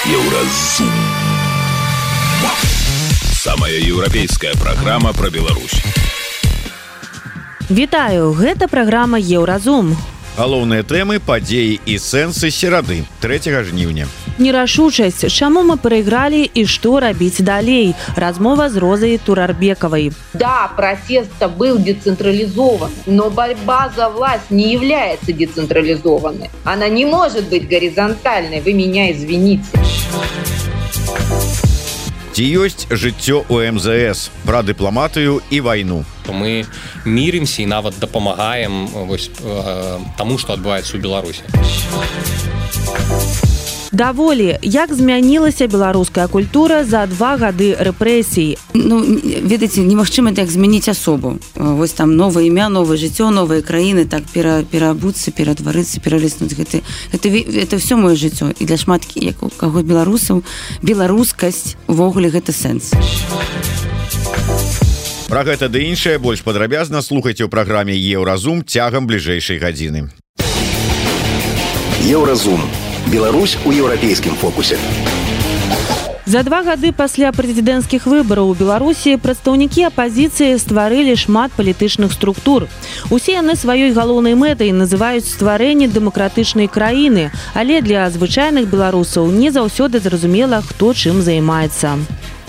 Еўразум. Самая еўрапейская праграма пра Беларусь. Вітаю, гэта праграма Еўразум. Галоўныя тэмы, падзеі і сэнсы серады 3 жніўня. Нерашучасць, чаму мы прайгралі і што рабіць далей? Размова з Розай Турарбековой. Да, протест был децентрализован, но борьба за власть не является децентрализованной. Она не может быть горизонтальной, вы меня извините. Ці ёсць жыццё у МЗС пра дыпламатыю і вайну. Мы мірымся і нават дапамагаем таму, што адбываецца ў Беларусі. Даволі, як змянілася беларуская культура за 2 гады рэпрэсій? Ведаеце, немагчыма так змяніць асобу. Вось там новае імя, новае жыццё, новыя краіны, так пераабуцца, ператварыцца, пералеснуць. Гэта ўсё маё жыццё. І для шмат каго беларусаў беларускасць увогуле гэта сэнс. Пра гэта ды іншае больш падрабязна слухайце ў праграме Еўразум цягам бліжэйшай гадзіны. Еўразум. Беларусь у еўрапейскім фокусе. За 2 гады пасля прэзідэнцкіх выбараў у Беларусі прадстаўнікі апазіцыі стварылі шмат палітычных структур. Усе яны сваёй галоўнай мэтай называюць стварэнне дэмакратычнай краіны, але для звычайных беларусаў не заўсёды зразумела, хто чым займаецца.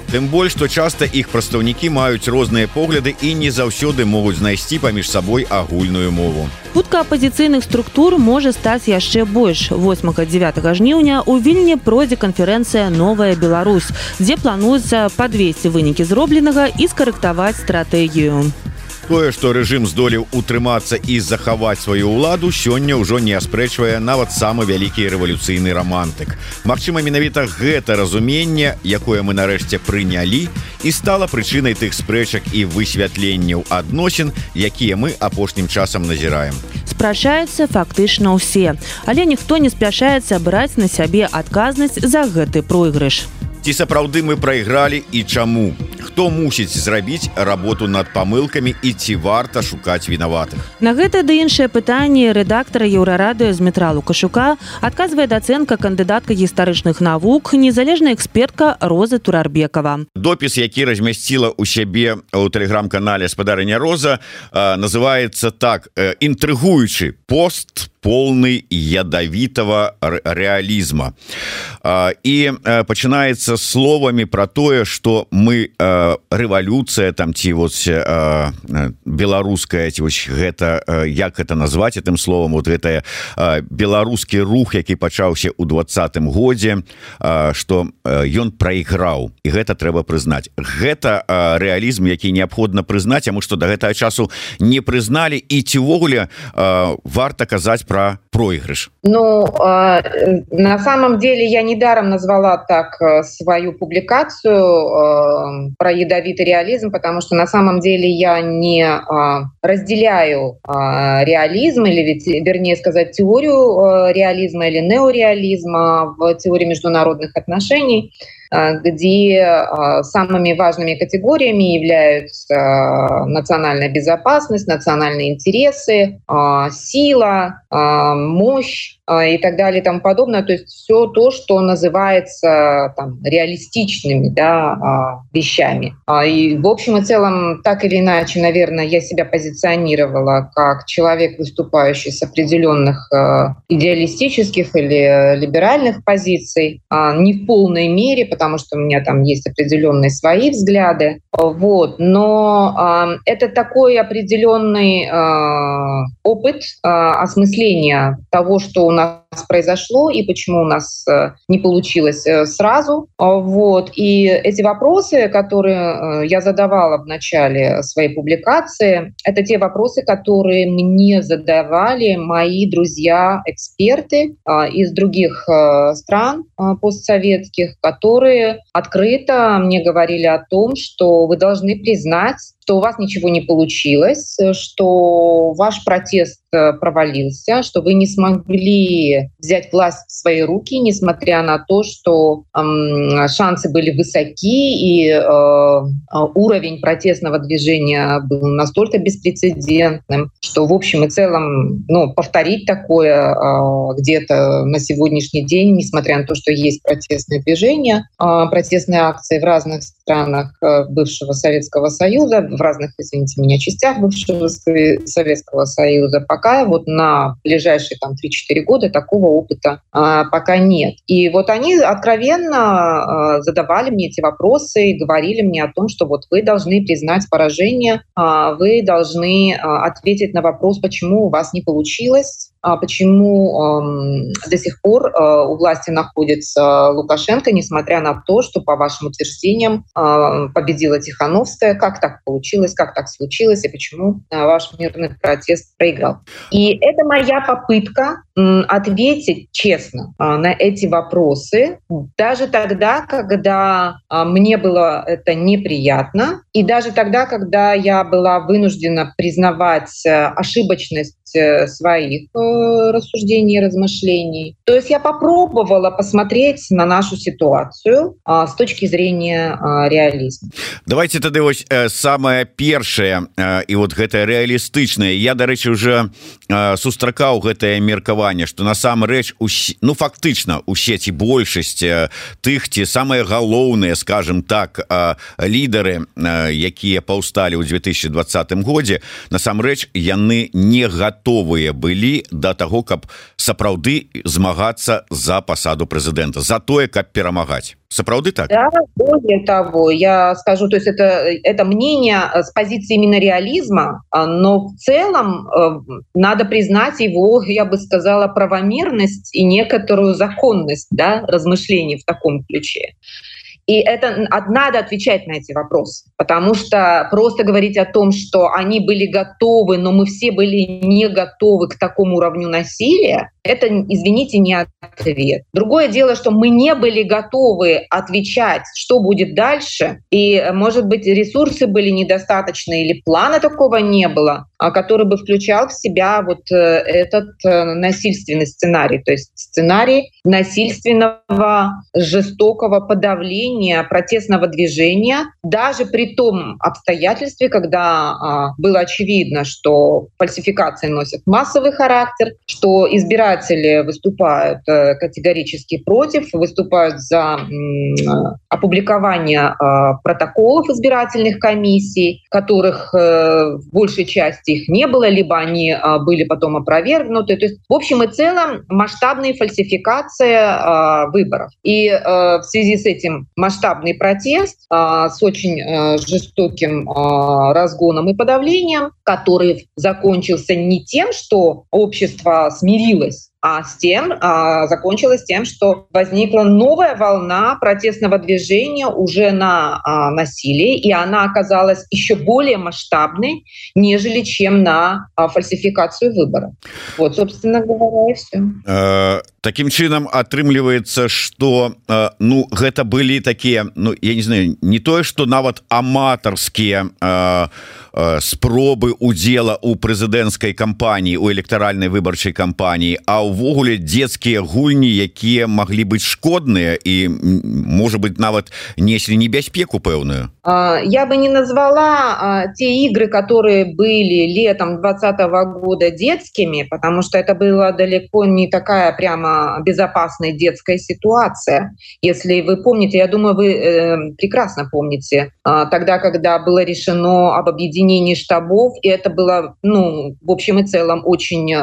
Тым больш, што часта іх прадстаўнікі маюць розныя погляды і не заўсёды могуць знайсці паміж сабой агульную мову. Хутка апазіцыйных структур можа стаць яшчэ больш. 8-9 жніўня ў Вільні пройдзе канферэнцыя «Новая Беларусь», дзе плануецца падвесці вынікі зробленага і скарэктаваць стратэгію. Тое, што рэжым здолеў утрымацца і захаваць сваю ўладу, сёння ўжо не аспрэчвае нават самы вялікі рэвалюцыйны рамантык. Магчыма, менавіта гэта разуменне, якое мы нарэшце прынялі, і стала прычынай тых спрэчак і высвятленняў адносін, якія мы апошнім часам назіраем. Спрачаюцца фактычна ўсе, але ніхто не спяшаецца браць на сябе адказнасць за гэты пройгрыш. Ці сапраўды мы прайгралі і чаму? Хто мусіць зрабіць работу над памылкамі і ці варта шукаць вінаватых? На гэта ды іншае пытанне рэдактара Еўрарадыё Змітра Лукашука адказвае дацэнтка кандыдатка гістарычных навук, незалежная экспертка Роза Турарбекова. Допіс, які размясціла ў сябе ў тэлеграм-канале спадарыня Роза, называецца так: інтрыгуючы пост полный ядовитого реализма. И пачынаецца словамі про тое, что мы рэвалюцыя там ці вот беларуская, ці вось гэта, як гэта назваць этим словом, вот гэта беларускі рух, які пачаўся ў 20-м годзе, что ён прайграў, і гэта трэба прызнаць. Гэта рэалізм, які неабходна прызнаць, таму што да гэтага часу не прызналі, і ці ўвогуле варта казаць про проигрыш? На самом деле я недаром назвала так свою публикацию про ядовитый реализм, потому что на самом деле я не разделяю реализм, или вернее сказать теорию реализма или неореализма в теории международных отношений, где самыми важными категориями являются национальная безопасность, национальные интересы, сила, мощь и так далее и тому подобное. То есть все то, что называется там реалистичными, да, вещами. И в общем и целом, так или иначе, наверное, я себя позиционировала как человек, выступающий с определенных идеалистических или либеральных позиций, не в полной мере, потому что у меня там есть определенные свои взгляды. Вот. Но это такой определенный опыт осмысления того, что у нас произошло и почему у нас не получилось сразу. Вот. И эти вопросы, которые я задавала в начале своей публикации, это те вопросы, которые мне задавали мои друзья-эксперты из других стран постсоветских, которые открыто мне говорили о том, что вы должны признать, что у вас ничего не получилось, что ваш протест провалился, что вы не смогли взять власть в свои руки, несмотря на то, что шансы были высоки, и уровень протестного движения был настолько беспрецедентным, что в общем и целом повторить такое где-то на сегодняшний день, несмотря на то, что есть протестные движения, протестные акции в разных странах бывшего Советского Союза, в разных, извините меня, частях бывшего Советского Союза, пока вот на ближайшие 3-4 года такого опыта пока нет. И вот они откровенно задавали мне эти вопросы и говорили мне о том, что вот вы должны признать поражение, вы должны ответить на вопрос, почему у вас не получилось, почему до сих пор у власти находится Лукашенко, несмотря на то, что, по вашим утверждениям, победила Тихановская. Как так получилось, как так случилось, и почему ваш мирный протест проиграл? И это моя попытка ответить честно на эти вопросы, даже тогда, когда мне было это неприятно, и даже тогда, когда я была вынуждена признавать ошибочность своих рассуждений и размышлений. То есть я попробовала посмотреть на нашу ситуацию с точки зрения реализма. Давайте тады вось самае першае і вот гэтае рэалістычнае. Я, дарэчы, уже сустракаў гэтае меркаванне, што насамрэч фактычна усе ці большасць тых ці самыя галоўныя, скажем так, лідары, якія паўсталі ў 2020 годзе, насамрэч яны не готовыя былі да таго, каб сапраўды змагацца за пасаду прэзідэнта, за тое, каб перамагаць. Сапраўды так? Да, более того, я скажу, то есть это мнение с позиции именно реализма, но в целом надо признать его, я бы сказала, правомерность и некоторую законность, да, размышлений в таком ключе. И это надо отвечать на эти вопросы, потому что просто говорить о том, что они были готовы, но мы все были не готовы к такому уровню насилия, это, извините, не ответ. Другое дело, что мы не были готовы отвечать, что будет дальше, и, может быть, ресурсы были недостаточны или плана такого не было, который бы включал в себя вот этот насильственный сценарий, то есть сценарий насильственного, жестокого подавления протестного движения, даже при том обстоятельстве, когда было очевидно, что фальсификации носят массовый характер, что избиратели выступают категорически против, выступают за опубликование протоколов избирательных комиссий, которых в большей части их не было, либо они были потом опровергнуты. То есть, в общем и целом, масштабные фальсификации выборов. И в связи с этим масштабный протест с очень жестоким разгоном и подавлением, который закончился не тем, что общество смирилось, а закончилось тем, что возникла новая волна протестного движения уже на насилие, и она оказалась еще более масштабной, нежели чем на фальсификацию выборов. Вот, собственно говоря, и все. Таким чынам атрымліваецца, што гэта былі такія, я не знаю, не тое, што нават аматарскія спробы удзела ў прэзідэнцкай кампаніі, у электаральнай выбарчай кампаніі, а ўвогуле дзецкія гульні, якія маглі быць шкодныя і, можа быть, нават неслі небяспеку пэўную. Я бы не назвала те игры, которые были летом 2020 года детскими, потому что это была далеко не такая прямо безопасная детская ситуация. Если вы помните, я думаю, вы прекрасно помните, тогда, когда было решено об объединении штабов, и это было, в общем и целом, очень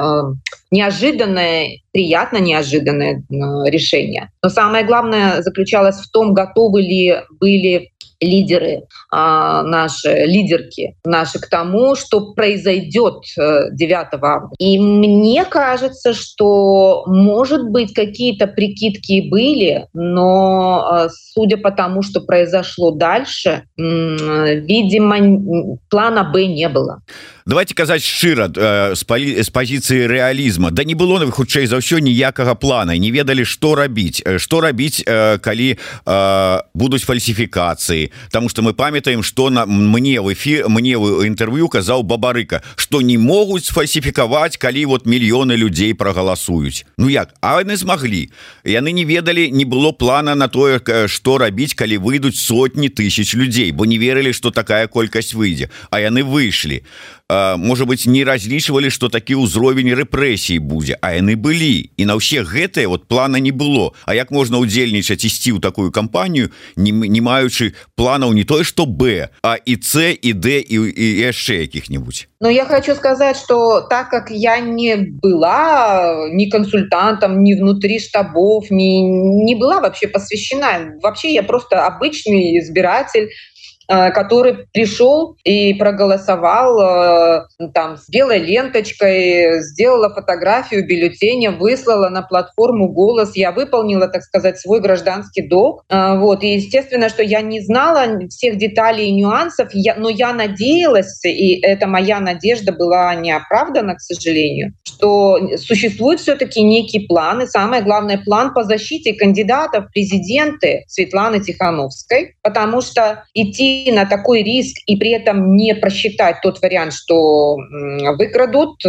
неожиданное, приятно неожиданное решение. Но самое главное заключалось в том, готовы ли были лидеры, наши лидерки наши к тому, что произойдет 9 августа. И мне кажется, что, может быть, какие-то прикидки были, но судя по тому, что произошло дальше, видимо, плана Б не было. Давайте казаць шчыра з пазіцыі рэалізма. Да не было хутчэй за ўсё ніякага плана, не ведалі што рабіць, калі будуць фальсіфікацыі. Таму што мы памятаем, што мне ў інтэрв'ю казаў Бабарыка, што не могуць сфальсіфікаваць, калі вот мільёны людзей прагаласуюць. Ну як? А яны змаглі. Яны не ведалі, не было плана на тое, што рабіць, калі выйдуць сотні тысяч людзей, бо не верылі, што такая колькасць выйдзе, а яны выйшлі. Можа быть, не разлічвалі, што такі ўзровень рэпрэсій будзе, а яны былі. І на ўсе гэтыя вот плана не было. А як можна удзельнічаць ісці ў такую кампанію, не маючы планаў не тое, што Б, а і С, і Д, і яшчэ якіх-нибудь? Но я хочу сказать, что так как я не была ни консультантом, ни внутри штабов, не была вообще посвящена, вообще я просто обычный избиратель, который пришел и проголосовал там с белой ленточкой, сделала фотографию бюллетеня, выслала на платформу «Голос». Я выполнила, так сказать, свой гражданский долг. Вот. И естественно, что я не знала всех деталей и нюансов, но я надеялась, и эта моя надежда была не оправдана, к сожалению, что существует все-таки некий план, и самое главное, план по защите кандидатов в президенты Светланы Тихановской, потому что идти на такой риск и при этом не просчитать тот вариант, что выкрадут,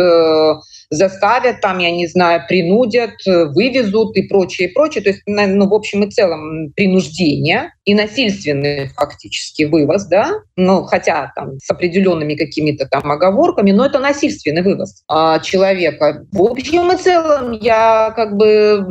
заставят, там, я не знаю, принудят, вывезут и прочее, прочее. То есть, ну, в общем и целом, принуждение и насильственный фактически вывоз, да, ну, хотя там с определенными какими-то там оговорками, но это насильственный вывоз человека. В общем и целом, я как бы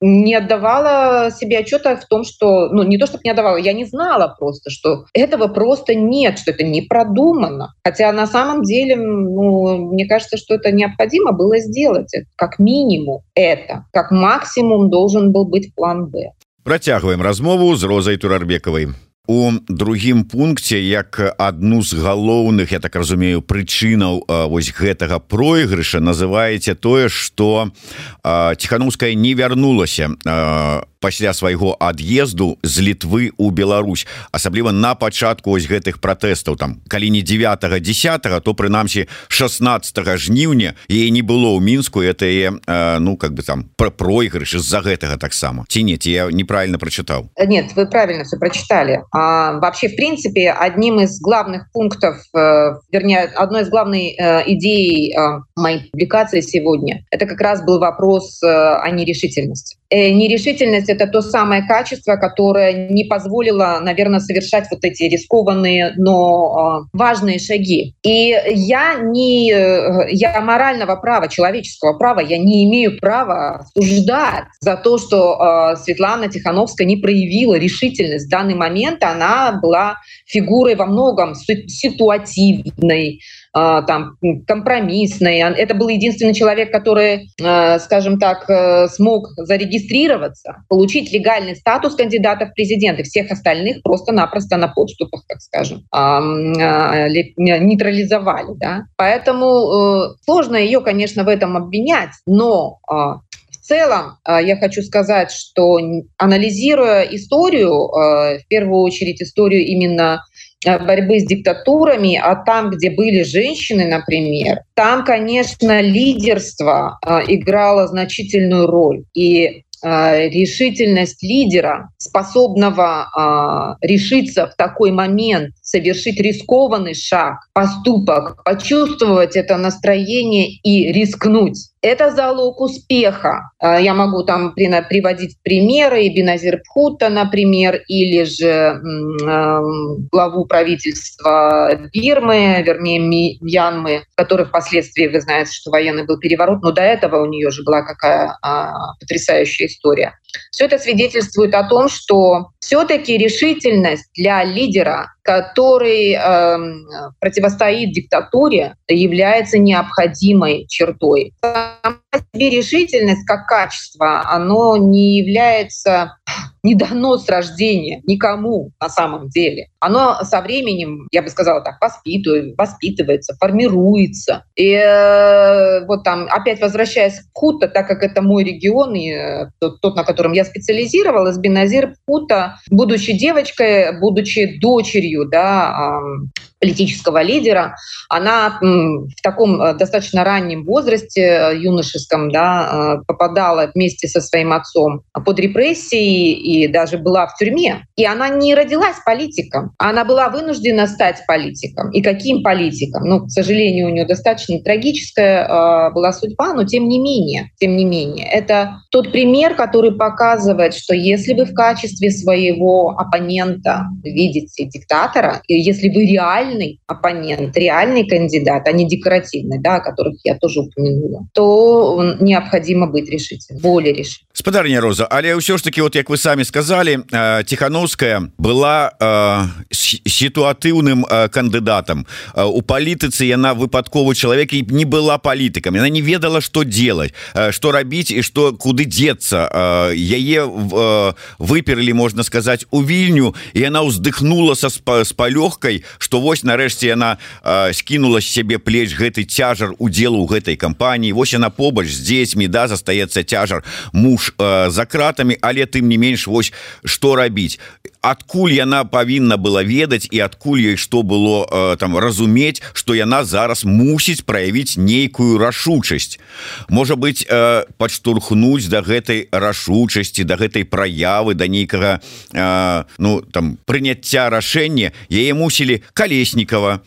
не отдавала себе отчета в том, что, ну, не то, чтобы не отдавала, я не знала просто, что этого просто нет, что это не продумано. Хотя на самом деле, ну, мне кажется, что это необходимо было сделать. Как минимум это. Как максимум должен был быть план «Б». Працягваем размову з Розай Турарбекавай. У другім пункце, як адну з галоўных, я так разумею, прычынаў вось гэтага пройгрыша называеце тое, што Тихановская не вярнулася пасля свайго ад'езду з Літвы ў Беларусь, асабліва на пачатку ось гэтых пратэстаў, там, калі не 9-10, то прынамсі 16 жніўня яе не было ў Мінску, это ну, как бы там пройгрыш з-за гэтага таксама. Ці не, ці я неправильно прочитал? Нет, вы правильно все прочитали. Вообще, в принципе, одним из главных пунктов, вернее, одной из главных идей моей публикации сегодня, это как раз был вопрос о нерешительности. Нерешительность — это то самое качество, которое не позволило, наверное, совершать вот эти рискованные, но важные шаги. И я морального права, человеческого права, я не имею права осуждать за то, что Светлана Тихановская не проявила решительность. В данный момент она была фигурой во многом ситуативной, там, компромиссной. Это был единственный человек, который, скажем так, смог зарегистрироваться, получить легальный статус кандидата в президенты. Всех остальных просто-напросто на подступах, так скажем, нейтрализовали. Да? Поэтому сложно ее, конечно, в этом обвинять, но в целом я хочу сказать, что, анализируя историю, в первую очередь историю именно борьбы с диктатурами, а там, где были женщины, например, там, конечно, лидерство играло значительную роль. И решительность лидера, способного решиться в такой момент, совершить рискованный шаг, поступок, почувствовать это настроение и рискнуть. Это залог успеха. Я могу там приводить примеры и Беназир Бхутто, например, или же главу правительства Бирмы, вернее Мьянмы, который впоследствии, вы знаете, что военный был переворот, но до этого у нее же была какая потрясающая история. Все это свидетельствует о том, что все-таки решительность для лидера, который противостоит диктатуре, является необходимой чертой. Сама себе решительность как качество, оно не является не дано с рождения никому на самом деле. Оно со временем, я бы сказала так, воспитывается, формируется. И вот там, опять возвращаясь к Пхута, так как это мой регион, и тот, на котором я специализировалась, Беназир Пхута, будучи девочкой, будучи дочерью, да, политического лидера, она в таком достаточно раннем возрасте, юношеском, да, попадала вместе со своим отцом под репрессии и даже была в тюрьме. И она не родилась политиком, она была вынуждена стать политиком. И каким политиком? Ну, к сожалению, у нее достаточно трагическая была судьба, но тем не менее, это тот пример, который показывает, что если вы в качестве своего оппонента видите диктатора, и если вы реальный оппонент, реальный кандидат, а не декоративный, да, о которых я тоже упомянула, то необходимо быть решительным, более решительным. Спадарня Роза, але ўсё ж таки, вот як вы самі сказали, Тихановская была ситуатыўным кандыдатам. У палітыцы яна выпадковы чалавек і не была палітыкам. Яна не ведала, што делать, што рабіць і што куды деться. Яе выперлі, можна сказаць, у Вільню, і яна ўздыхнула с палёгкай, што вось нарэшце яна скінула з сябе плеч гэты цяжар удзелу ў гэтай кампаніі. Вось яна побач з дзецьмі, да, застаецца цяжар, муж за кратамі, але тым не менш, вось што рабіць. Адкуль яна павінна была ведаць і адкуль ёй што было там разумець, што яна зараз мусіць праявіць нейкую рашучасць. Можа быць, падштурхнуць да гэтай рашучасці, да гэтай праявы, да нейкага ну, там, прыняцця рашэння. Яе мусілі Колесникова,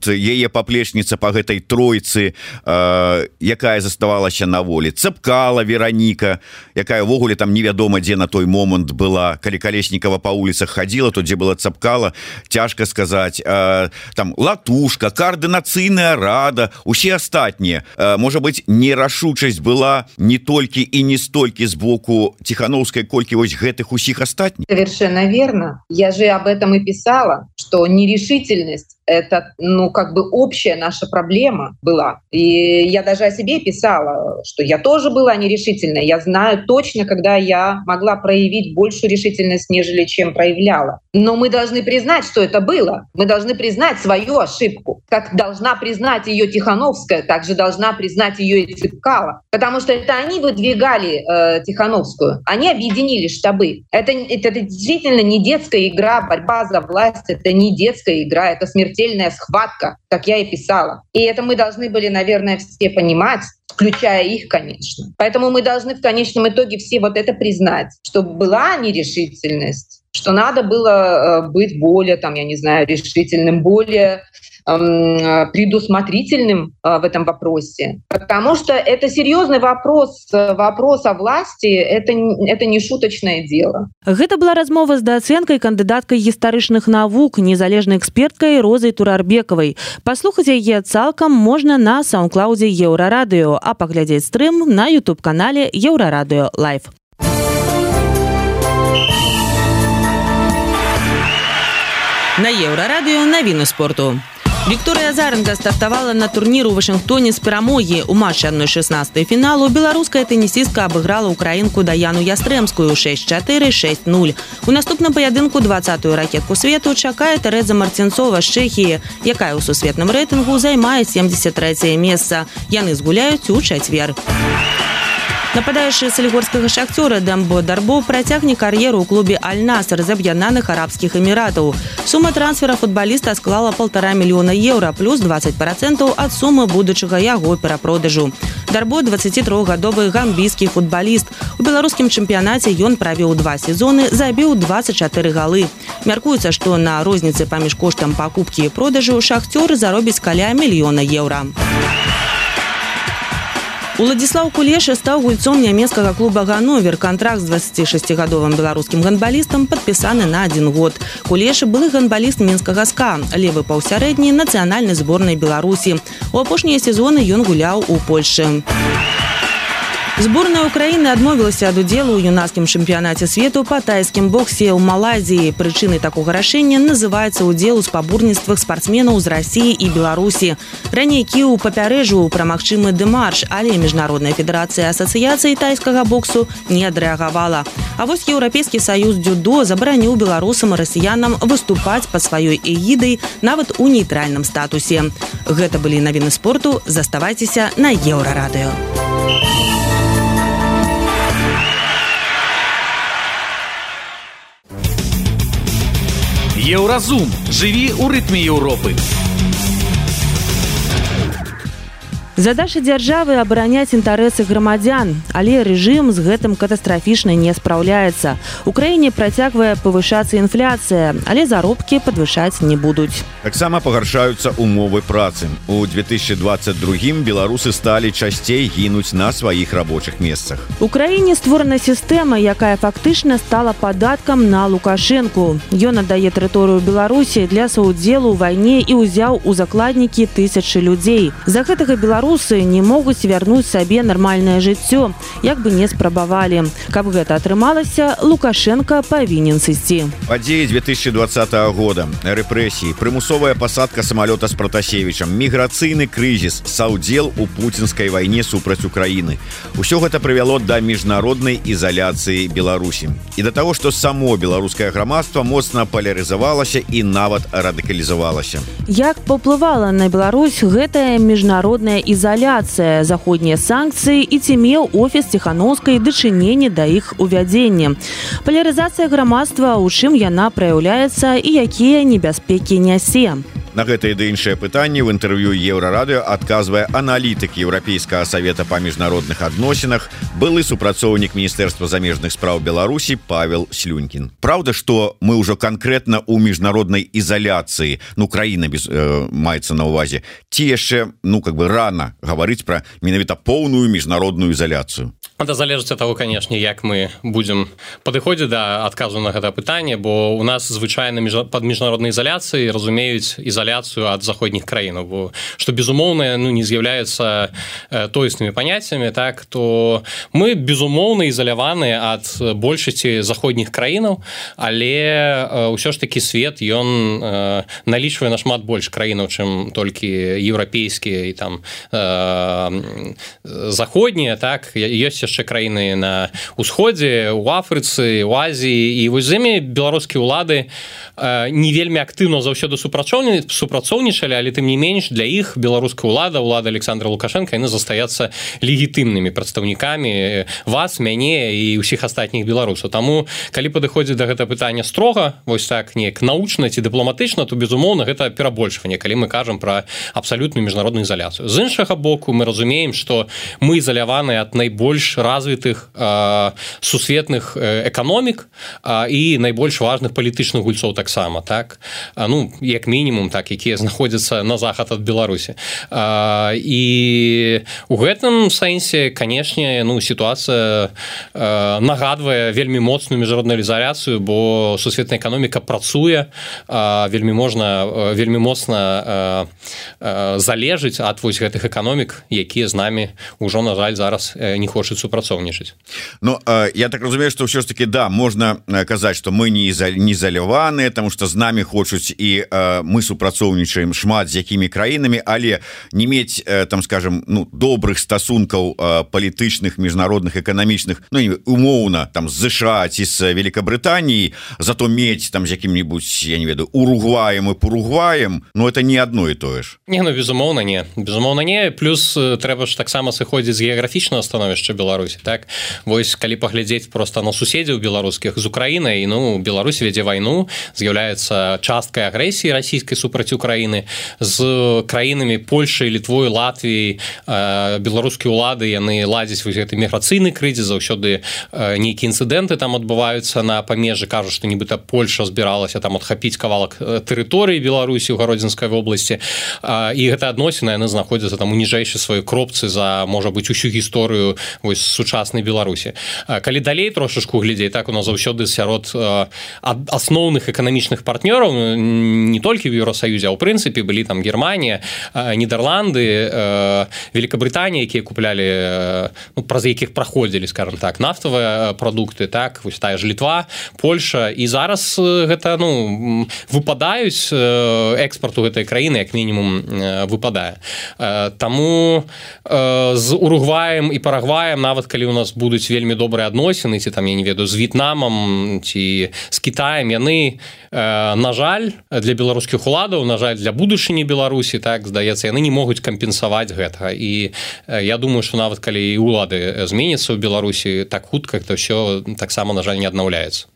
яе паплечніца по гэтай тройцы, якая заставалася на волі, Цэпкала Вероніка, якая ўвогуле там невядома дзе на той момант была. Калі Колесникова по улицах ходила, то дзе была Цэпкала, цяжка сказаць. Там Латушка, координацыйная рада, усе астатнія. Можа быць, нерашучасць была не толькі і не столькі з боку Тихановскай, колькі вось гэтых усіх астатніх. Совершенно верно. Я же об этом и писала, что нерешительность — это, ну, как бы общая наша проблема была. И я даже о себе писала, что я тоже была нерешительной. Я знаю точно, когда я могла проявить большую решительность, нежели чем проявляла. Но мы должны признать, что это было. Мы должны признать свою ошибку. Как должна признать ее Тихановская, так же должна признать ее и Цэпкала. Потому что это они выдвигали Тихановскую. Они объединили штабы. Это действительно не детская игра, борьба за власть. Это не детская игра, это смертельная схватка, как я и писала. И это мы должны были, наверное, все понимать, включая их, конечно. Поэтому мы должны в конечном итоге все вот это признать, что была нерешительность, что надо было быть более, там, я не знаю, решительным, более предусмотрительным в этом вопросе. Потому что это серьезный вопрос о власти, это не шуточное дело. Гэта была размова з дацэнкай, кандыдаткай гістарычных навук, незалежнай эксперткай Розай Турарбекавай. Паслухаць яе цалкам можна на саундклаудзе Еўрарадыё, а паглядзець стрым на YouTube-канале Еўрарадыё Лайв. На Еўрарадыё навіны спорту. Вікторыя Азаренка стартавала на турніру ў Вашынгтоне з перамогі. У матчы 1/16 фіналу беларуская тэнісістка абыграла украінку Даяну Ястрэмскую 6-4, 6-0. У наступным паядынку 20-ю ракетку свету чакае Тэрэза Марцінцова з Чэхіі, якая ў сусветным рэйтынгу займае 73е месца. Яны згуляюць у чацвер. Нападаючы салігорскага шахцёра Дамбо Дарбо працягне кар'еру ў клубе Аль-Наср з Аб'яднаных Арабскіх Эміратаў. Сума трансфера футбаліста склала 1,5 мільёна еўра плюс 20% ад сумы будучага яго перапродажу. Дарбо 23-гадовы гамбійскі футбаліст. У беларускім чэмпіянаце ён правёў 2 сезоны, забіў 24 галы. Мяркуецца, што на розніцы паміж коштам пакупкі і продажу шахцёр заробіць каля мільёна еўра. Уладзіслаў Кулеша стаў гульцом нямецкага клуба «Ганновер». Кантракт з 26-гадовым беларускім гандбалістам падпісаны на 1 год. Кулеша былы гандбаліст мінскага СКА, левы паўсярэдні нацыянальнай зборнай Беларусі. У апошнія сезоны ён гуляў у Польшчы. Зборная Украины адмовілася ад удзелу ў юнацкім чэмпіянаце свету па тайскім боксе ў Малайзіі. Прычынай такога рашэння называецца удзел у спаборніцтвах спартсменаў з Расіі і Беларусі. Раней Кіў папярэджваў пра магчымы дэмарш, але Міжнародная федэрацыя асацыяцыі тайскага боксу не адрэагавала. А вось Еўрапейскі саюз дзюдо забараніў беларусам і расіянам выступаць пад сваёй эгідай нават у нейтральным статусе. Гэта былі навіны спорту. Заставайцеся на Еўрарадыё. Еўразум. Жыві ў рытме Еўропы. Задача дзяржавы абараняць інтарэсы грамадзян, але рэжым з гэтым катастрафічна не спраўляецца. У краіне працягвае павышацца інфляцыя, але заробкі падвышаць не будуць. Таксама пагаршаюцца умовы працы. У 2022 беларусы сталі часцей гінуць на сваіх рабочых месцах. У краіне створана сістэма, якая фактычна стала падаткам на Лукашэнку. Ён аддае тэрыторыю Беларусі для саўдзелу ў вайне і ўзяў у закладнікі тысячы людзей. За гэтага беларусы не могуць вярнуць сабе нармальнае жыццё, як бы не спрабавалі. Каб гэта атрымалася, Лукашенко павінен сысці. Падзеі 2020 года, рэпрэсіі, прымусовая пасадка самалёта з Пратасевічам, міграцыйны крызіс, саўдзел у пуцінскай вайне супраць Украіны. Усё гэта прывяло да міжнароднай ізаляцыі Беларусі. І да таго, што само беларускае грамадства моцна палярызавалася і нават радыкалізавалася. Як паўплывала на Беларусь гэтая міжнародная ізаляцыя, заходнія санкцыі і ці меў офіс Ціхановскай дачыненне да іх увядзення. Палярызацыя грамадства, у чым яна праяўляецца і якія небяспекі нясе. На гэтае ды іншае пытанне ў інтэрв'ю Еўрарадыё адказвае аналітык Еўрапейскага савета па міжнародных адносінах, былы супрацоўнік Міністэрства замежных спраў Беларусі Павел Слюнькін. Праўда, што мы ўжо канкрэтна ў міжнароднай ізаляцыі, краіна маецца на ўвазе, ці яшчэ, рана гаварыць пра менавіта поўную міжнародную ізаляцыю? Это залежыць ад таго, канешне, як мы будзем падыходзіць да адказу на гэта пытанне, бо у нас звычайна пад міжнароднай ізаляцыяй разумеюць ізаляцыю ад заходніх краінаў, бо што безумоўна не з'яўляецца тоеснымі паняццямі, так, то мы безумоўна ізаляваныя ад большасці заходніх краінаў, але ўсё ж такі свет ён налічвае нашмат больш краінаў, чым толькі еўрапейскія і там заходнія, так, ёсць яшчэ краіны на ўсходзе, у Афрыцы, у Азіі, і вось з імі беларускія ўлады не вельмі актыўна заўсёды супрацоўнічалі, але тым не менш для іх беларуская ўлада Александра Лукашенка, яны застаюцца легітымнымі прадстаўнікамі вас, мяне і ўсіх астатніх беларусаў. Таму, калі падыходзіць да гэта пытання строга, вось так неяк научна ці дыпламатычна, то безумоўна гэта перабольшванне, калі мы кажам пра абсалютную міжнародную ізаляцыю. З іншага боку, мы разумеем, што мы ізаляваныя ад найбольш развітых сусветных эканомік і найбольш важных палітычных гульцоў таксама, так? Як мінімум, так, якія знаходзяцца на захад ад Беларусі. І у гэтым сэнсе, канешне, сітуацыя нагадвае вельмі моцную міжнародную ізаляцыю, бо сусветная эканоміка працуе, вельмі моцна залежыць ад вось гэтых эканомік, якія з намі ўжо, на жаль, зараз не хочуць супрацоўнічаць. Я так разумею, што ўсё ж таки, да, можна казаць, што мы не ізаляваныя, таму што з намі хочуць і мы супрацоўнічаем шмат з якімі краінамі, але не мець, там, скажем, добрых стасункаў палітычных, міжнародных, эканамічных, умоўна, там, з США ці з Великабрытаніі, зато мець там з якім-небудзь, я не ведаю, Уругваем і Паругваем, это не адно і тое ж. Безумоўна не. Плюс трэба ж таксама сыходзіць з геаграфічнага становішча Беларусі, так? Вось, калі паглядзець проста на суседзяў беларускіх з Украінай, Беларусь вядзе вайну, з'яўляецца часткай агрэсіі расійскай супраць Украіны, з краінамі Польшай, Літвой, Латвіяй, беларускія ўлады, яны ладзяць вось гэты міграцыйны крызіс, заўсёды нейкія інцыдэнты там адбываюцца на памежжы, кажуць, што нібыта Польша збіралася там адхапіць кавалак тэрыторыі Беларусі ў Гародзінскай вобласці, і гэта адносіны, яны знаходзяцца там у ніжэйшай сваёй кропцы за, можа быць, усю гісторыю вось вось сучаснай Беларусі. Калі далей трошачку глядзей, так у нас заўсёды сярод асноўных эканамічных партнёраў не толькі ў Еўросаюзе, а ў прынцыпе былі там Германія, Нідерланды, Великабрытанія, якія куплялі, праз якіх праходзілі, скажем так, нафтавыя прадукты, так, вось тая ж Літва, Польша, і зараз гэта, выпадаюць экспарту гэтай краіны, як мінімум выпадае. Таму з Уругваем і Парагваем, нават калі у нас будуць вельмі добрыя адносіны, ці там, я не ведаю, з В'етнамам ці з Кітаем, яны, на жаль, для беларускіх уладаў, на жаль, для будучыні Беларусі, так, здаецца, яны не могуць кампенсаваць гэтага. І я думаю, што нават калі і улады зменяцца ў Беларусі, так хутка это ўсё таксама, на жаль, не аднаўляецца.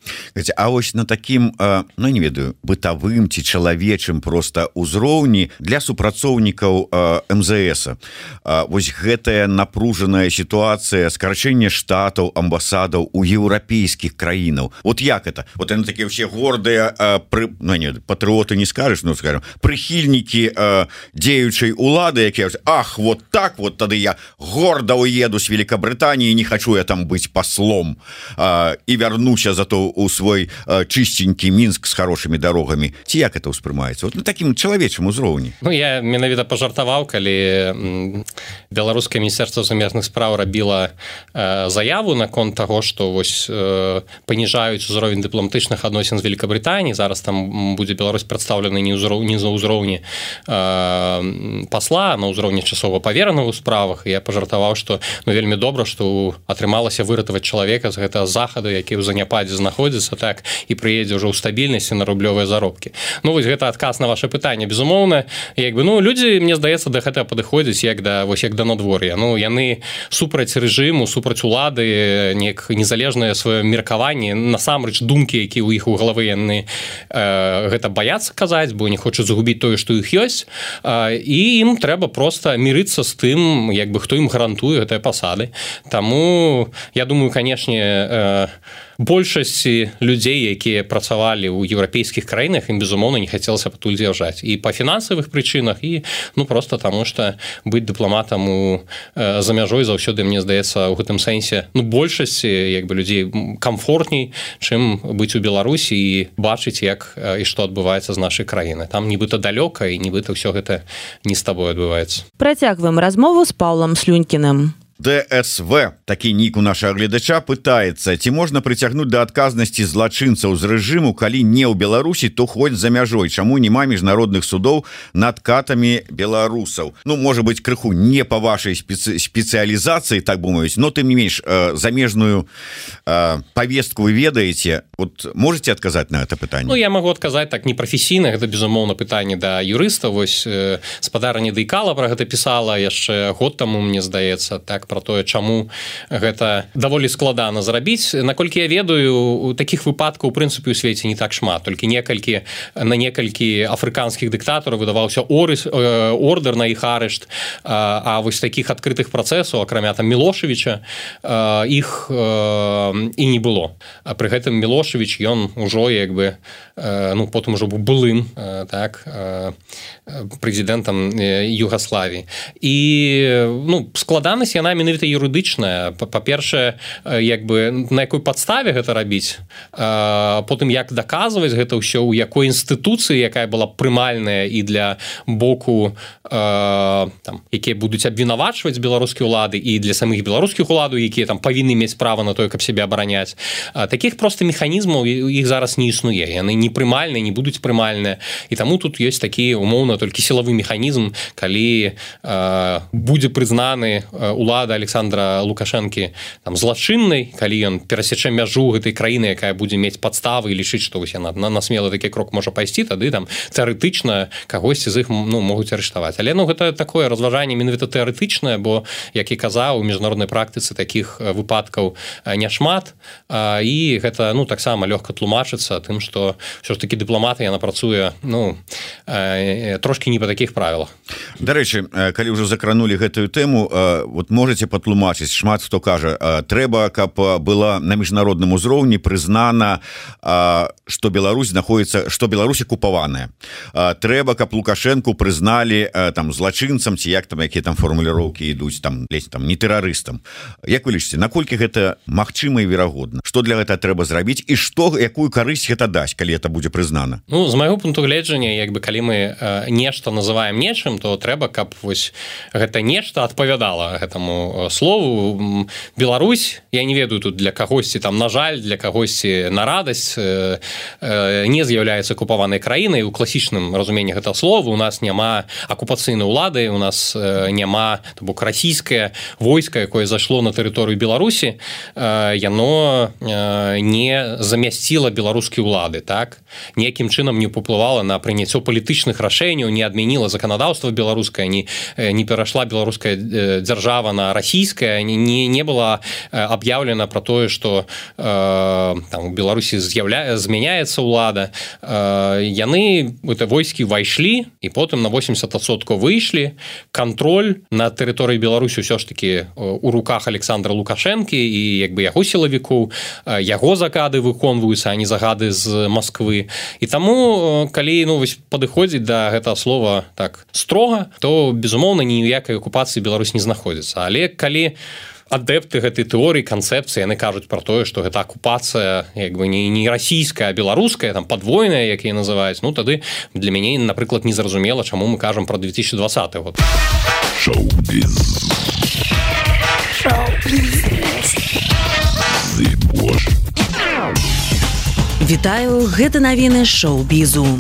А вось на такім, не ведаю, бытавым ці чалавечым проста ўзроўні для супрацоўнікаў МЗС. Вось гэтая напружаная сітуацыя, скарачэнне штатаў, амбасадаў у еўрапейскіх краінаў. Вот як это? Вот яны такія ўсе гордыя патрыоты не скажаш, скажем, прыхільнікі дзеючай улады, якія ах, вот так вот тады я горда уеду з Великабрытаніі, не хочу я там быць паслом і вярнуся зато у свой чыстенькі Мінск з хорошымі дарогамі. Ці як это ўспрымаецца? Вот на такім чалавечым узроўні. Я менавіта пажартаваў, калі беларускае міністэрства замежных спраў рабіла заяву наконт таго, што вось паніжаюць узровень дыпламатычных адносін з Великабрытаніяй. Зараз там будзе Беларусь прадстаўлена не за ўзроўні пасла, на ўзроўні часова паверанага ў справах. І я пажартаваў, што вельмі добра, што атрымалася выратаваць чалавека з гэтага захаду, які ў заняпадзе знаходзіцца, так, і прыедзе ўжо ў стабільнасці на рублёвыя заробкі. Вось гэта адказ на ваше пытанне. Безумоўна, людзі, мне здаецца, да гэтага падыходзяць як да надвор'я. Яны супраць рэжыму, супраць улады, незалежнае сваё меркаванне, насамрэч думкі, якія ў іх у галавы, яны гэта баяцца казаць, бо не хочуць загубіць тое, што іх ёсць, і ім трэба проста мірыцца з тым, хто ім гарантуе гэтыя пасады. Таму, я думаю, канешне, большасці людзей, якія працавалі ў еўрапейскіх краінах, ім, безумоўна, не хацелася патуль з'язджаць. І па фінансавых прычынах, і проста таму, што быць дыпламатам за мяжой заўсёды, мне здаецца, у гэтым сэнсе большасці людзей камфортней, чым быць у Беларусі і бачыць, як і што адбываецца з нашай краіны. Там нібыта далёка, і нібыта ўсё гэта не з табой адбываецца. Працягваем размову з Паўлам Слюнькіным. ДСВ, такі нік у нашага гледача, пытаецца, ці можна прыцягнуць да адказнасці злачынцаў з рэжыму, калі не ў Беларусі, то хоць за мяжой. Чаму няма міжнародных судоў над катамі беларусаў? Можа быць, крыху не па вашай спецыялізацыі, так бы мовіць, но тым не менш замежную павестку вы ведаеце. Вот можете адказаць на гэта пытанне? Я магу адказаць так непрафесійна, гэта, безумоўна, пытанне да юрыста. Вось спадарня Дайкала пра гэта пісала яшчэ год таму, мне здаецца, так, про тое, чаму гэта даволі складана зрабіць. Наколькі я ведаю, такіх выпадкаў, у прынцыпе, у свеце не так шмат. Толькі на некалькі афрыканскіх дыктатараў выдаваўся ордер на іх арышт, а вось такіх адкрытых працэсаў, акрамя там Мілошевіча, іх і не было. Пры гэтым Мілошевіч, ён ужо потым ужо быў былым, так, прэзідэнтам Югаславіі. І складанасць яна менавіта юрыдычная. Па-першае, на якой падставе гэта рабіць, потым як даказваць гэта ўсё, у якой інстытуцыі, якая была прымальная і для боку, якія будуць абвінавачваць беларускія ўлады, і для самых беларускіх уладаў, якія там павінны мець права на тое, каб сябе абараняць. Такіх проста механізмаў іх зараз не існуе. Яны не прымальныя, не будуць прымальныя. І таму тут ёсць такі, умоўна, толькі сілавы механізм, калі будзе прызнаны улада Александра Лукашэнкі злачыннай, калі ён перасечэ мяжу гэтай краіны, якая будзе мець падставы і лічыць, што яна на смелы такі крок можа пайсці, тады тэарэтычна кагосьці з іх могуць арыштаваць. Але гэта такое разважанне менавіта тэарэтычнае, бо, як і казаў, у міжнароднай практыцы такіх выпадкаў няшмат, і гэта таксама лёгка тлумачыцца тым, што ўсё ж такі дыпламатыя, яна працуе трошкі не па такіх правілах. Дарэчы, калі ўжо закранулі гэтую тэму, вот можете можете патлумачыць? Шмат хто кажа, трэба, каб была на міжнародным узроўні прызнана, што Беларусь знаходіцца, што Беларусь акупаваная. Трэба, каб Лукашенку прызналі там злачынцам, ці як там, якія там формуліроўкі ідуць, там ледзь там не тэрарыстам. Як вы лічыце, наколькі гэта магчыма і верагодна? Што для гэта трэба зрабіць і што, якую карысць гэта дасць, калі это будзе прызнана? Ну, з майго пункту гледжання, як бы калі мы нешта называем нечым, то трэба, каб вось гэта нешта адпавядала гэтаму слову. Беларусь, я не ведаю тут для кагосьці там на жаль, для кагосьці на радасць, не з'яўляецца акупаванай краінай у класічным разуменні гэтага слова. У нас няма акупацыйнай улады, у нас няма, то бок расійскае войска, якое зайшло на тэрыторыю Беларусі, яно не замясціла беларускія улады, так? Ніякім чынам не паўплывала на прыняццё палітычных рашэнняў, не адмяніла заканадаўства беларускае, не перайшла беларуская дзяржава на расійская, не была аб'яўлена про тое, што там у Беларусі змяняецца ўлада. Яны это войскі вайшлі і потым на 80% выйшлі. Кантроль на тэрыторыі Беларусі ўсё ж таки у руках Александра Лукашэнкі і як бы яго сілавікоў, яго загады выконваюцца, а не загады з Москвы. І таму калі вось падыходзіць да гэтага слова так строга, то безумоўна ніякай акупацыі Беларусь не знаходзіцца. Але калі адэпты гэтай тэорыі, канцэпцыі, яны кажуць пра тое, што гэта акупацыя як бы не расійская, а беларуская, там падвойная, як яе называюць, ну тады для мяне, напрыклад, незразумела, чаму мы кажам пра 2020 год. Шоу-біз. Вітаю, гэта навіны шоу-бізу.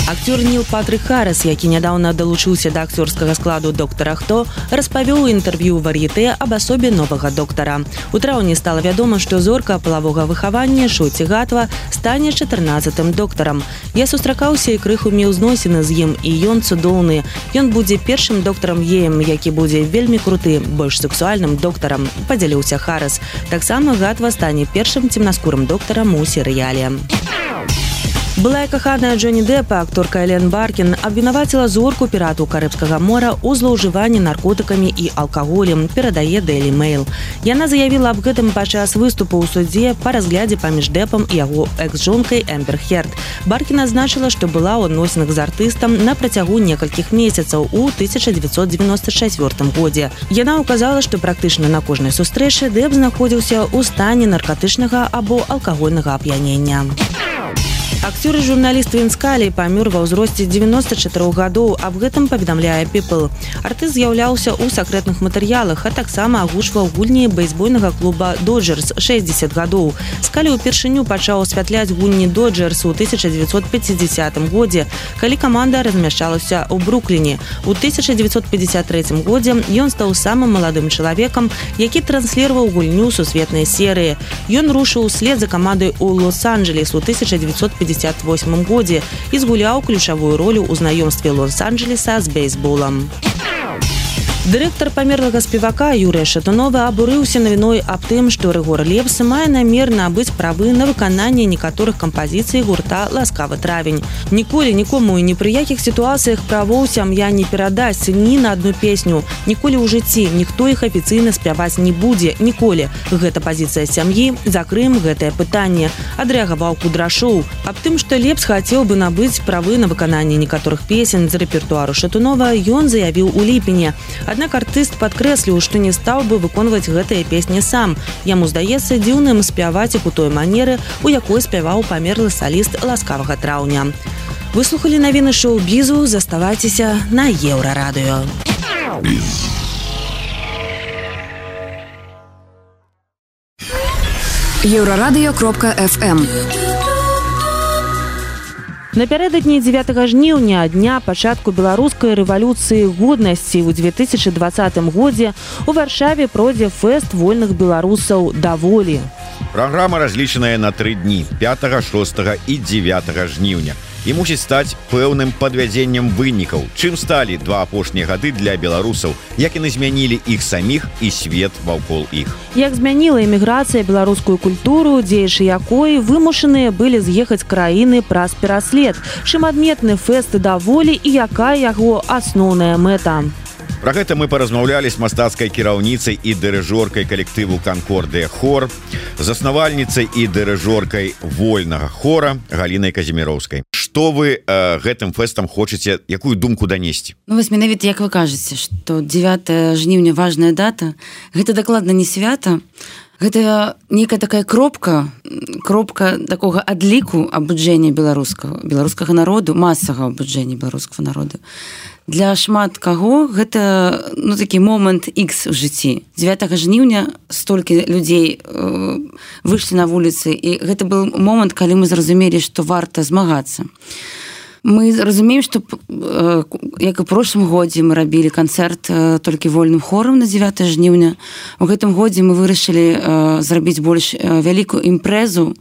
Актёр Ніл Патрык Харрис, які нядаўна далучыўся да акцёрскага складу «Доктара Хто», распавёў у інтэрв'ю «Вар'етэ» аб асобе новага доктара. У траўні стала вядома, што зорка палавога выхавання Шоці Гатва стане 14-м доктарам. Я сустракаўся і крыху меў зносіны з ім, і ён цудоўны. Ён будзе першым доктарам геем, які будзе вельмі круты, больш сексуальным доктарам, падзяліўся Харрис. Таксама Гатва стане першым цемнаскурым доктарам у серыяле. Былая каханая Джонні Дэпа, акторка Элен Баркін, абвінаваціла зорку пірату Карыбскага мора ў злоўжыванні наркотыкамі і алкаголем, перадае Daily Mail. Яна заявіла аб гэтым падчас выступу ў судзе па разглядзе паміж Дэпам і яго экс-жонкай Эмбер Херд. Баркін адзначыла, што была ў адносінах з артыстам на працягу некалькіх месяцаў у 1994 годзе. Яна ўказала, што практычна на кожнай сустрэчы Дэп знаходзіўся ў стане наркатычнага або алкагольнага ап'янення. Акцёр і журналіст Він Скалі памёр ва ўзросце 94 гадоў, аб гэтым паведамляе People. Артыст з'яўляўся ў сакрэтных матэрыялах, а таксама агучваў гульні бейсбольнага клуба «Доджерс» 60 гадоў. Скалі ўпершыню пачаў асвятляць гульні «Доджерс» у 1950 годзе, калі каманда размяшчалася ў Брукліне. У 1953 годзе ён стаў самым маладым чалавекам, які трансліраваў гульню сусветнай серыі. Ён рушыў услед за камандай ў Лос-Анджелес у 1958 годзе і згуляў ключавую ролю ў знаёмстве Лос-Анджелеса з бейсболам. Дырэктар памерлага спевака Юрыя Шатунова абурыўся навіной аб тым, што Рыгор Лепс мае намер набыць правы на выкананне некаторых кампазіцый гурта «Ласкавы травень». Ніколі нікому і ні пры якіх сітуацыях правоў сям'я не перадасць ні на адну песню. Ніколі ў жыцці ніхто іх афіцыйна спяваць не будзе. Ніколі. Гэта пазіцыя сям'і. Закрыем гэтае пытанне. Адрэагаваў Кудрашоў. Аб тым, што Лепс хацеў бы набыць правы на выкананне некаторых песень з рэпертуару Шатунова, ён заявіў у ліпені. Аднак артыст падкрэсліў, што не стаў бы выконваць гэтыя песні сам. Яму здаецца дзіўным спяваць іх у той манеры, у якой спяваў памерлы саліст «Ласкавага траўня». Выслухалі навіны шоу-бізу, заставайцеся на Еўрарадыё. Еўрарадыё.фм. Напярэдадні 9 жніўня, дня пачатку беларускай рэвалюцыі годнасці ў 2020 годзе у Варшаве пройдзе фэст вольных беларусаў «Даволі». Праграма разлічаная на 3 дні, 5, 6 і 9 жніўня. І мусіць стаць пэўным падвядзеннем вынікаў, чым сталі 2 апошнія гады для беларусаў, як яны змянілі іх саміх і свет ваўкол іх. Як змяніла эміграцыя беларускую культуру, дзеячы якой вымушаныя былі з'ехаць краіны праз пераслед, чым адметны фэст «Даволі» і якая яго асноўная мэта. Про гэта мы паразмаўлялі з мастацкай кіраўніцай і дырыжоркай калектыву «Канкордыя хор», заснавальніцай і дырыжоркай вольнага хора Галінай Казіміроўскай. Што вы гэтым фэстам хочаце, якую думку данесці? Ну, вось менавіта, як вы кажаце, што 9 жніўня важная дата, гэта дакладна не свята, гэта некая такая кропка такога адліку абуджэння беларускага народу, масавага абуджэння беларускага народу. Для шмат каго гэта такі момант X у жыцці. 9 жніўня столькі людзей выйшлі на вуліцы, і гэта быў момант, калі мы зразумелі, што варта змагацца. Мы разумеем, што як і ў прошлым годзе мы рабілі канцэрт толькі вольным хорам на 9 жніўня. У гэтым годзе мы вырашылі зрабіць больш вялікую імпрэзу.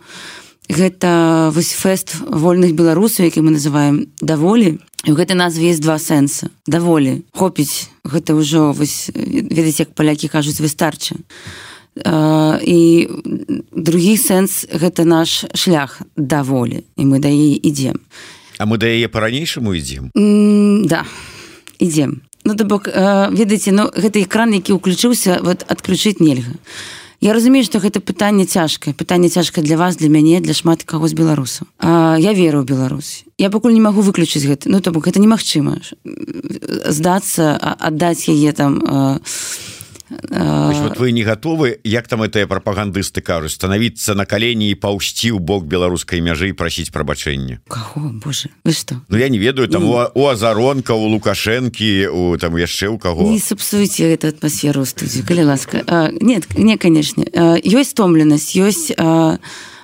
Гэта вось фэст вольных беларусаў, які мы называем «Даволі». І ў гэтай назве есть два сэнсы. Даволі. Хопіць. Гэта ўжо, ведаеце, як палякі кажуць, выстарча. І другі сэнс – гэта наш шлях да волі. І мы да яе ідзем. А мы да яе па-ранейшаму ідзем? Да, ідзем. То бок, ведаеце, гэты экран, які ўключыўся, адключыць нельга. Я разумею, што гэта пытанне цяжкае для вас, для мяне, для шмат каго з беларусаў. Я веру ў Беларусь. Я пакуль не магу выключыць гэта. То бок, гэта немагчыма. Здацца, аддаць яе там... Вы не готовы, як там гэтыя прапагандысты кажуць, станавіцца на калені і паўсці ў бок беларускай мяжы і прасіць прабачэння? Каго, Боже, вы што? Я не ведаю, там у Азаронка, у Лукашэнкі, там яшчэ ў каго. Не сапсуйце гэту атмасферу ў студыю, калі ласка. Не, канешне. Ёсць стомленасць, ёсць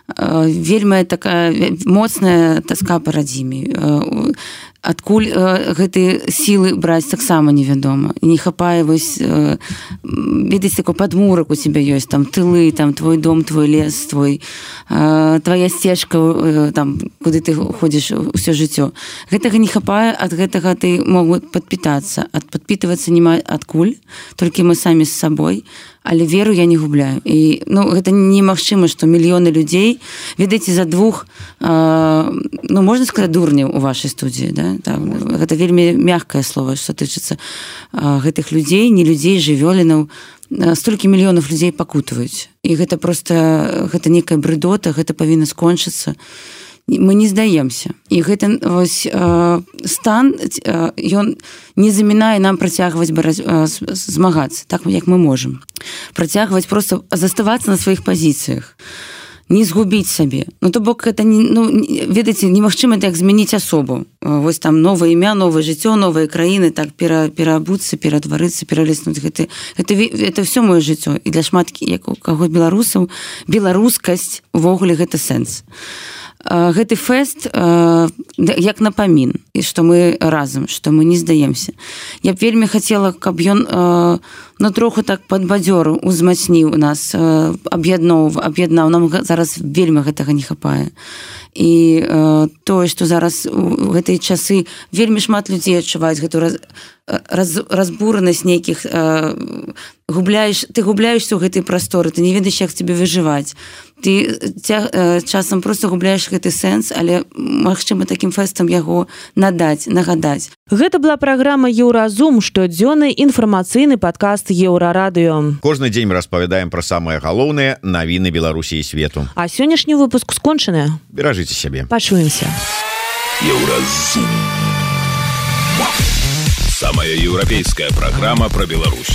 вельмі такая моцная таска па радзіме. Адкуль гэтыя сілы браць таксама невядома. І не хапае, ведаеце, такой падмурак у цябе ёсць, там тылы, там твой дом, твой лес, твоя сцежка, там, куды ты ходзіш усё жыццё. Гэтага не хапае, ад гэтага ты могуць падпітацца. Падпітвацца няма адкуль, толькі мы самі з сабой, але веру я не губляю. І гэта немагчыма, што мільёны людзей, ведаеце, за двух, можна сказаць, дурняў у вашай студыі, да? Гэта вельмі мягкае слово, што тычыцца гэтых людзей, не людзей, жывёлінаў. Столькі мільёнаў людзей пакутваюць. І гэта проста, гэта некая брыдота, гэта павінна скончыцца. Мы не здаемся. І гэта стан, ён не замінае нам працягваць змагацца, так як мы можам. Працягваць проста заставацца на сваіх пазіцыях. Не згубіць сабе. То бок, гэта, ведаеце, немагчыма так змяніць асобу. Вось там новае імя, новае жыццё, новыя краіны, так пераабуцца, ператварыцца, пералеснуць. Гэта ўсё маё жыццё. І для шмат каго беларусаў беларускасць увогуле гэта сэнс. Гэты фэст як напамін, і што мы разам, што мы не здаемся. Я б вельмі хацела, каб ён троху так падбадзёрыў, узмацніў нас, аб'яднаў. Нам зараз вельмі гэтага не хапае. І тое, што зараз у гэтыя часы вельмі шмат людзей адчуваюць гэту разбуранасць нейкіх, ты губляешься ў гэтай прасторы, ты не ведаеш, як тебе выжываць. Ты часам проста губляеш гэты сэнс, але магчыма такім фэстам яго нагадаць. Гэта была праграма «Еўразум», штодзённы інфармацыйны падкаст Еўрарадыё. Кожны дзень мы распавядаем пра самыя галоўныя навіны Беларусі і свету. А сённяшні выпуск скончаны. Беражыце сябе. Пачуемся. Еўразум. Самая еўрапейская праграма пра Беларусь.